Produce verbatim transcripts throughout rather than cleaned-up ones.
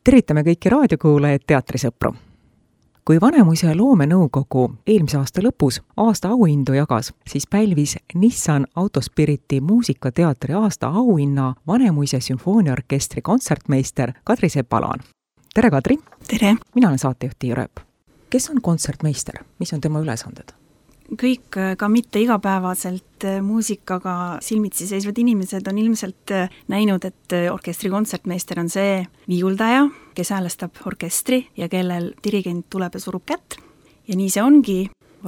Tervitame kõiki raadiokuulajaid, teatrisõpru. Kui Vanemuise loomenõukogu eelmise aasta lõpus aasta auhindu jagas, siis pälvis Nissan Autospiriti muusikateatri aasta auhinna Vanemuise sümfooniaorkestri kontsertmeister Kadri Sepalaan. Tere, Kadri! Tere! Mina olen saatejuht Tiia Rööp. Kes on kontsertmeister? Mis on tema ülesanded? Kõik ka mitte igapäevaselt muusikaga silmitsi seisvad inimesed on ilmselt näinud, et orkestri kontsertmeister on see viiuldaja, kes häälestab orkestri ja kellel dirigent tuleb ja surub kätt. Ja nii see ongi.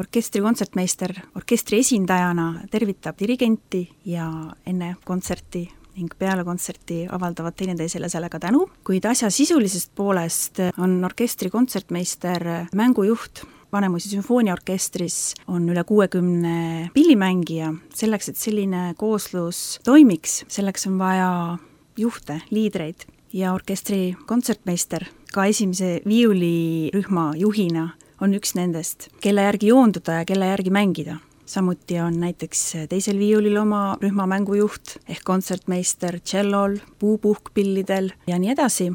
Orkestri kontsertmeister orkestri esindajana tervitab dirigenti ja enne kontserti ning peale kontserti avaldavad teineteisele sellega tänu. Kuid asja sisulisest poolest on orkestri kontsertmeister mängujuht. Vanemuise sümfooniaorkestris on üle kuuekümne pillimängija. Selleks, et selline kooslus toimiks, selleks on vaja juhte, liidreid ja orkestri kontsertmeister ka esimese viiulirühma juhina on üks nendest, kelle järgi joonduda ja kelle järgi mängida. Samuti on näiteks teisel viiulil oma rühma mängujuht ehk kontsertmeister tšellol, puupuhkpillidel ja nii edasi.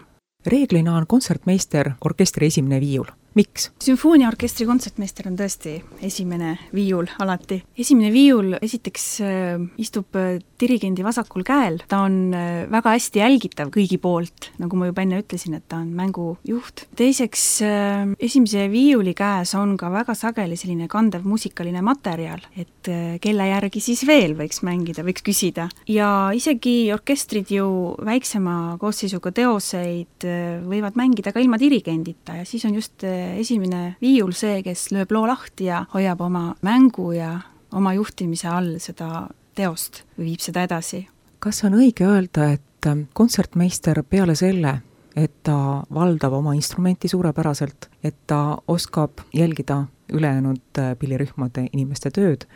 Reeglina on kontsertmeister orkestri esimene viiul. Miks? Sümfooniaorkestri kontsertmeister on tõesti esimene viiul alati. Esimene viiul esiteks äh, istub dirigendi vasakul käel. Ta on äh, väga hästi jälgitav kõigi poolt, nagu ma juba enne ütlesin, et ta on mängujuht. Teiseks, äh, esimese viiuli käes on ka väga sageli selline kandev muusikaline materjal, et äh, kelle järgi siis veel võiks mängida, võiks küsida. Ja isegi orkestrid ju väiksema koosseisuga teoseid äh, võivad mängida ka ilma dirigendita ja siis on just äh, esimene viiul see, kes lööb loo lahti ja hoiab oma mängu ja oma juhtimise all seda teost või viib seda edasi. Kas on õige öelda, et kontsertmeister peale selle, et ta valdab oma instrumenti suurepäraselt, et ta oskab jälgida ülejäänud pillirühmade inimeste tööd,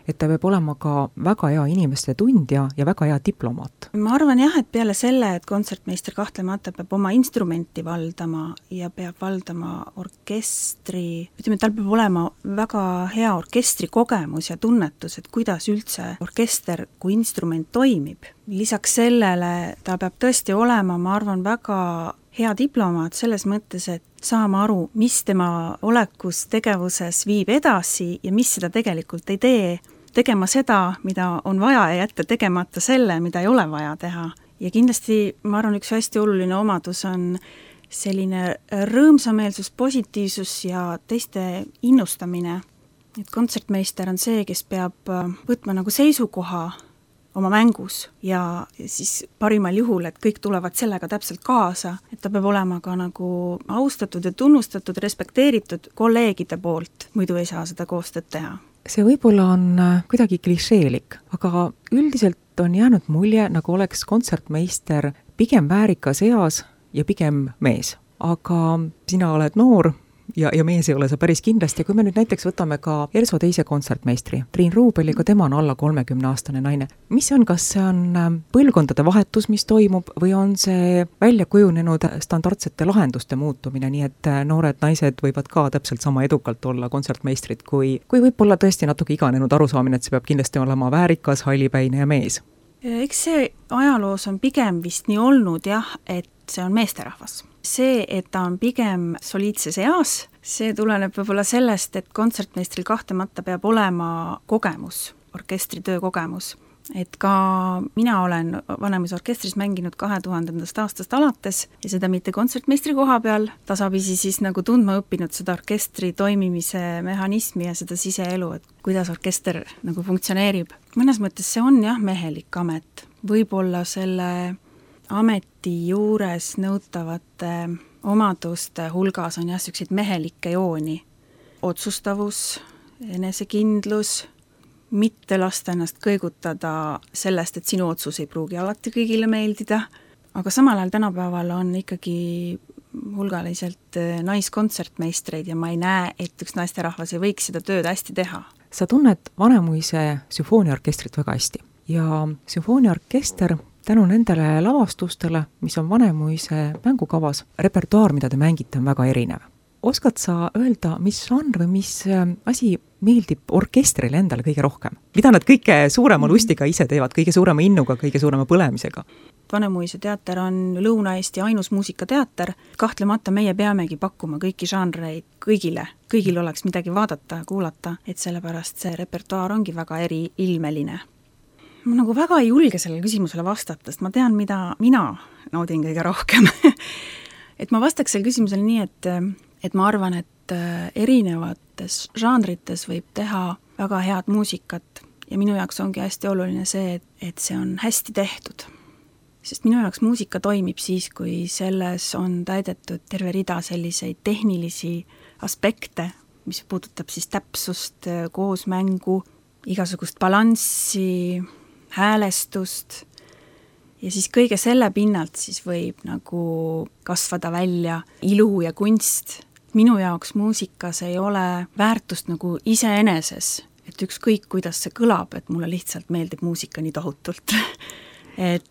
et ta peab olema ka väga hea inimeste tundja ja väga hea diplomaat? Ma arvan jah, et peale selle, et kontsertmeister kahtlemata peab oma instrumenti valdama ja peab valdama orkestri, ütleme, tal peab olema väga hea orkestri kogemus ja tunnetus, et kuidas üldse orkester kui instrument toimib. Lisaks sellele ta peab tõesti olema, ma arvan, väga hea diplomaat selles mõttes, et saama aru, mis tema olekus tegevuses viib edasi ja mis seda tegelikult ei tee, tegema seda, mida on vaja ja jätta tegemata selle, mida ei ole vaja teha. Ja kindlasti, ma arvan, üks hästi oluline omadus on selline rõõmsameelsus, positiivsus ja teiste innustamine. Et kontsertmeister on see, kes peab võtma nagu seisukoha oma mängus ja siis parimal juhul, et kõik tulevad sellega täpselt kaasa, et ta peab olema ka nagu austatud ja tunnustatud, respekteeritud kolleegide poolt, muidu ei saa seda koostööd teha. See võib-olla on kuidagi klišeelik, aga üldiselt on jäänud mulje, nagu oleks kontsertmeister pigem väärikas eas ja pigem mees. Aga sina oled noor ja, ja mees ei ole see päris kindlasti. Kui me nüüd näiteks võtame ka Erso teise kontsertmeistri, Triin Ruubeliga, tema on alla kolmekümne aastane naine. Mis see on, kas see on põlvkondade vahetus, mis toimub, või on see välja kujunenud standardsete lahenduste muutumine, nii et noored naised võivad ka täpselt sama edukalt olla kontsertmeistrid, kui, kui võib olla tõesti natuke iganenud arusaamine, et see peab kindlasti olema väärikas, hallipäine ja mees? Eks see ajaloos on pigem vist nii olnud jah, et see on meesterahvas. See, et ta on pigem soliidses eas, see tuleneb võib-olla sellest, et kontsertmeistril kahtlemata peab olema kogemus, orkestri töö kogemus. Et ka mina olen Vanemuise orkestris mänginud kahe tuhandendast aastast alates ja seda mitte kontsertmeistri koha peal, tasapisi siis nagu tundma õppinud seda orkestri toimimise mehhanismi ja seda siseelu, et kuidas orkester nagu funktsioneerib. Mõnes mõttes see on jah mehelik amet. Võib-olla selle ameti juures nõutavate omaduste hulgas on jah selliseid mehelikke jooni. Otsustavus, enesekindlus, mitte lasta ennast kõigutada sellest, et sinu otsus ei pruugi alati kõigile meeldida, aga samal ajal tänapäeval on ikkagi hulgaliselt naiskontsertmeistreid ja ma ei näe, et üks naisterahvas ei võiks seda tööd hästi teha. Sa tunned Vanemuise sümfooniaorkestrit väga hästi ja sümfooniaorkester tänu nendele lavastustele, mis on Vanemuise mängukavas, repertuaar, mida te mängite, on väga erinev. oskad sa öelda, mis žanr või mis asi meeldib orkestrile endale kõige rohkem? Mida nad kõige suurema lustiga ise teevad, kõige suurema innuga, kõige suurema põlemisega? Vanemuise teater on Lõuna-Eesti ainus muusikateater. Kahtlemata meie peamegi pakkuma kõiki žanreid kõigile. Kõigil oleks midagi vaadata ja kuulata, et sellepärast see repertuaar ongi väga eriilmeline. Ma nagu väga ei julge sellele küsimusele vastata, sest ma tean, mida mina naudin kõige rohkem. Et ma vastaks selle küsimusele nii, et, et ma arvan, et erinevates žanrites võib teha väga head muusikat ja minu jaoks ongi hästi oluline see, et, et see on hästi tehtud. Sest minu jaoks muusika toimib siis, kui selles on täidetud terve rida selliseid tehnilisi aspekte, mis puudutab siis täpsust, koosmängu, igasugust balanssi, häälestust ja siis kõige selle pinnalt siis võib nagu kasvada välja ilu ja kunst. Minu jaoks muusikas ei ole väärtust nagu iseeneses, et ükskõik kuidas see kõlab, et mulle lihtsalt meeldib muusika nii tohutult. et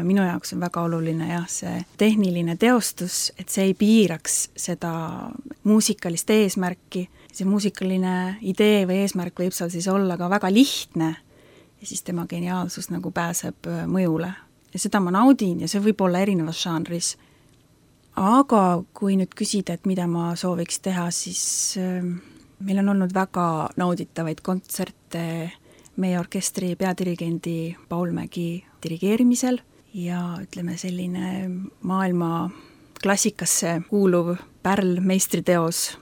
minu jaoks on väga oluline jah, see tehniline teostus, et see ei piiraks seda muusikalist eesmärki. See muusikaline idee või eesmärk võib seal siis olla ka väga lihtne ja siis tema geniaalsus nagu pääseb mõjule. Ja seda ma naudin ja see võib olla erinevas žanris. Aga kui nüüd küsida, et mida ma sooviks teha, siis meil on olnud väga nauditavaid kontserte meie orkestri peadirigendi Paul Mägi dirigeerimisel ja ütleme selline maailma klassikasse kuuluv pärl meistriteos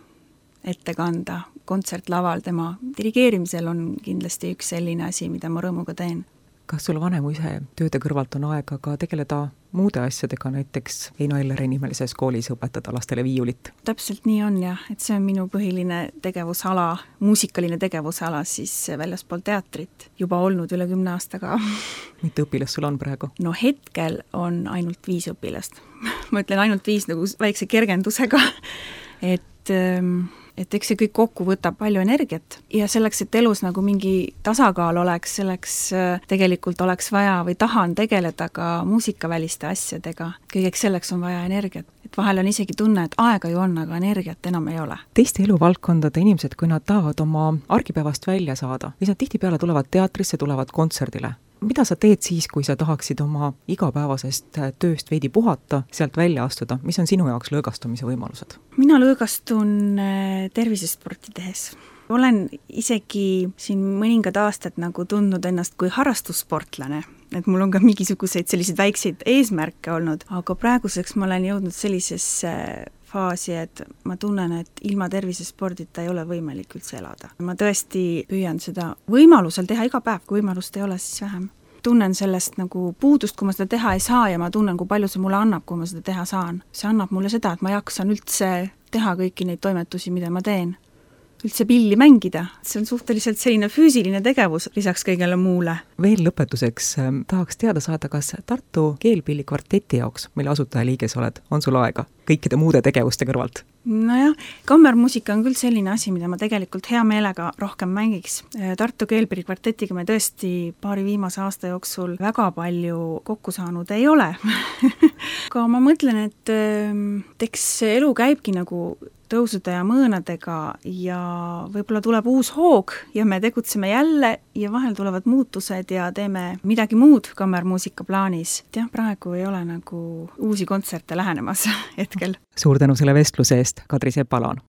ette kanda kontsertlaval tema dirigeerimisel on kindlasti üks selline asi, mida ma rõõmuga teen. Kas sul Vanemuise tööde kõrvalt on aega ka tegeleda muude asjadega, näiteks Heino Elleri nimelises koolis õpetada lastele viiulit? Täpselt nii on jah, et see on minu põhiline tegevusala, muusikaline tegevusala siis väljaspool teatrit juba olnud üle kümne aastaga. Mitu õpilast sul on praegu? No hetkel on ainult viis õpilast. Ma ütlen ainult viis nagu väikse kergendusega, et et eks see kõik kokku võtab palju energiat ja selleks, et elus nagu mingi tasakaal oleks, selleks tegelikult oleks vaja või tahan tegeleda ka muusikaväliste asjadega. Kõigeks selleks on vaja energiat. Et vahel on isegi tunne, et aega ju on, aga energiat enam ei ole. Teiste eluvaldkondade inimesed, kui nad tahavad oma argipäevast välja saada, siis nad tihtipeale tulevad teatrisse, tulevad kontserdile. Mida sa teed siis, kui sa tahaksid oma igapäevasest tööst veidi puhata, sealt välja astuda? Mis on sinu jaoks lõõgastumise võimalused? Mina lõõgastun tervisesporti tehes. Olen isegi siin mõningad aastad nagu tundnud ennast kui harrastussportlane, et mul on ka mingisuguseid selliseid väikseid eesmärke olnud, aga praeguseks ma olen jõudnud sellisesse faasi, et ma tunnen, et ilma tervisespordita ei ole võimalik üldse elada. Ma tõesti püüan seda võimalusel teha iga päev, kui võimalust ei ole, siis vähem. Tunnen sellest nagu puudust, kui ma seda teha ei saa ja ma tunnen, kui palju see mulle annab, kui ma seda teha saan. See annab mulle seda, et ma jaksan üldse teha kõiki neid toimetusi, mida ma teen. Üldse pilli mängida. See on suhteliselt selline füüsiline tegevus lisaks kõigele muule. Veel lõpetuseks tahaks teada saada, kas Tartu Keelpilli kvarteti jaoks, mille asutajaliige sa oled, on sul aega kõikide muude tegevuste kõrvalt? Nojah, kammermuusika on küll selline asi, mida ma tegelikult hea meelega rohkem mängiks. Tartu Keelpilli kvartetiga me tõesti paari viimase aasta jooksul väga palju kokku saanud ei ole. Aga ma mõtlen, et eks elu käibki nagu tõusude ja mõõnadega ja võib-olla tuleb uus hoog ja me tegutseme jälle ja vahel tulevad muutused ja teeme midagi muud kammermuusika plaanis. Jah, praegu ei ole nagu uusi kontserte lähenemas hetkel. Suur tänu selle vestluse eest, Kadri Sepalaan.